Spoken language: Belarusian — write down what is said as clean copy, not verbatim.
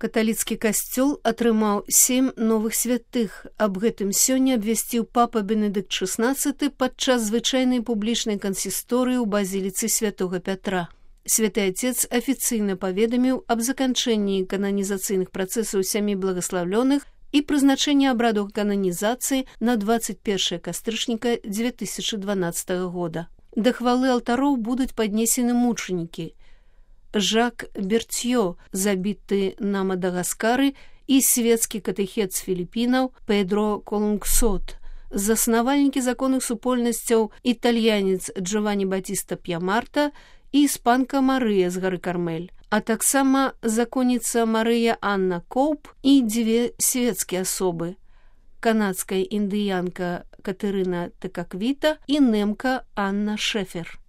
Каталіцкі касцёл атрымаў 7 новых святых. Аб гэтым сёння абвясціў папа Бенедыкт XVI падчас звычайнай публічнай кансісторыі ў базіліцы святога Пятра. Святы Отец афіцыйна паведаміў аб заканчэнні кананізацыйных працэсаў 7 благаславлёных і прызначэнні абраду кананізацыі на 21 кастрычніка 2012 года. Да хвалы алтароў будуць паднесены мучанікі. Жак Бертьё, забіты на Мадагаскары, і свецкі катэхет з Філіпінаў Педро Колунгсот, заснавальнікі законных супольнасцяў італьянец Джованні Батіста П'ямарта і іспанка Марыя з гары Кармель, а таксама законніца Марыя Анна Коуп і 2 свецкія асобы, канадская індыянка Катэрына Тэкаквіта і нэмка Анна Шэфер.